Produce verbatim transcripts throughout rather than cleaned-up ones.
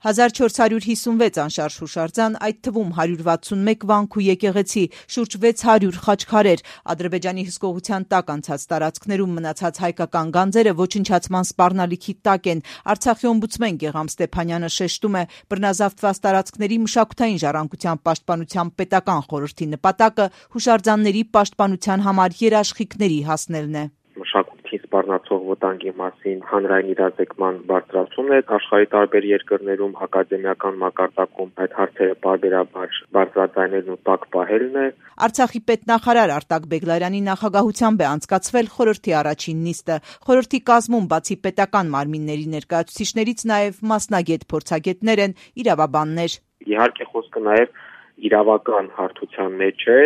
հազար չորս հարյուր հիսունվեց անշարժ հուշարձան, այդ թվում հարյուր վաթսունմեկ վանք ու եկեղեցի, շուրջ վեց հարյուր խաչքարեր, Ադրբեջանի հսկողության տակ անցած տարածքներում մնացած հայկական գանձերը ոչնչացման սպառնալիքի տակ են։ Արցախի օմբուդսմեն Գեղամ Ստեփանյանը շեշտում է, բռնազավթված տարածքների մշակութային ժառանգության պաշտպանության պետական խորհրդի նպատակը հուշարձանների պաշտպանության համար երաշխիքների հասնելն է։ Մշակույթի սպառնացող վտանգի մասին հանրային իրազեկման բարձրացումն է, աշխարհի տարբեր երկրներում ակադեմիական մակարդակում այդ հարցերը պարբերաբար բարձրաձայնելն ու տակ պահելն է։ Արցախի պետնախարար Արտակ Բեգլարյանի նախագահությամբ է անցկացվել խորհրդի առաջին նիստը։ Խորհրդի կազմում բացի պետական մարմինների ներկայացուցիչներից նաև մասնագետ փորձագետներ են, իրավաբաններ։ Իհարկե խոսքը նաև իրավական հարթության մեջ է,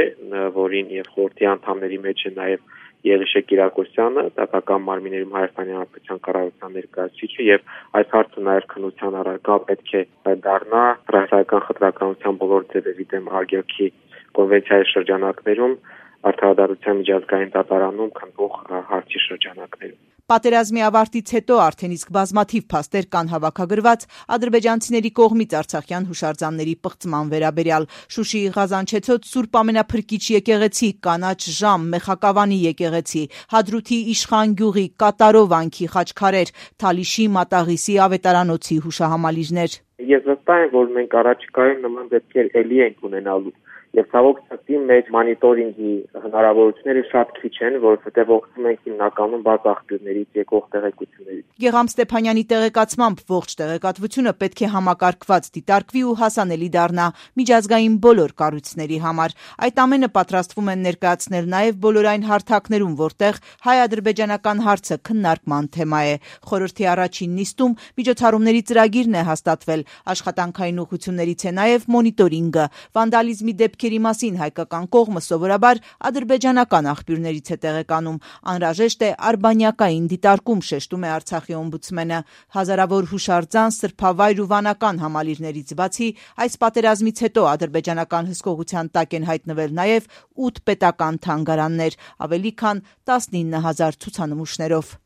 որին եւ խորհրդի անդամների մեջ է նաև Եղիշե Կիրակոսյանը, դատական մարմիններում Հայաստանի Հանրապետության կառավարության ներկայացուցիչը, եւ այս հարցը նաև քննության առարկա պետք է դառնա ռասայական խտրականության բոլոր ձևերի դեմ արգելքի կոնվենցիայի շրջանակներում, արդարադատության միջազգային դատարանում քննող հարցի շրջանակներում։ Պատերազմի ավարտից հետո արդեն իսկ բազմաթիվ փաստեր կան հավաքագրված ադրբեջանցիների կողմից արցախյան հուշարձանների պղծման վերաբերյալ։ Շուշիի Ղազանչեցոտ Սուրբ Ամենափրկիչ եկեղեցի, Կանաչ Ժամ, Մեխակավանի եկեղեցի, Հադրութի Իշխան գյուղի, Կատարո վանքի խաչքարեր, Թալիշի Մատաղիսի ավետարանոցի հուշահամալիրներ։ Ես վստահ եմ, որ մենք առաջիկայում նման դեպքեր ելի ենք ունենալու։ Եվ ցավոք սրտի մեջ մոնիտորինգի հնարավորությունները շատ քիչ են, որովհետև օգտվում ենք հիմնականում բաց աղբյուրներից եկող տեղեկություններից։ Գեղամ Ստեփանյանի տեղեկացմամբ ողջ տեղեկատվությունը պետք է համակարգված դիտարկվի ու հասանելի դառնա միջազգային բոլոր կառույցների համար։ Այդ ամենը պատրաստվում են ներկայացնել նաև բոլոր այն հարթակներում, որտեղ հայ-ադրբեջանական հարցը քննարկման թեմա է։ Խորհրդի առաջին նիստում միջոցառումների ծրագիրն է հաստատվել, աշխատանքային ուղղություններից է նաև մոնիտորինգը, վանդալիզմի դեպքերի մասին հայկական կողմը սովորաբար ադրբեջանական աղբյուրներից է տեղեկանում։ Անհրաժեշտ է արբանյակային դիտարկում, շեշտում է Արցախի օմբուդսմենը։ Հազարավոր հուշարձան, սրբավայր ու վանական համալիրներից բացի այս պատերազմից հետո ադրբեջանական հսկողության տակ են հայտնվել նաև ութ պետական թանգարաններ, ավելի քան տասնինը հազար ցուցանմուշներով։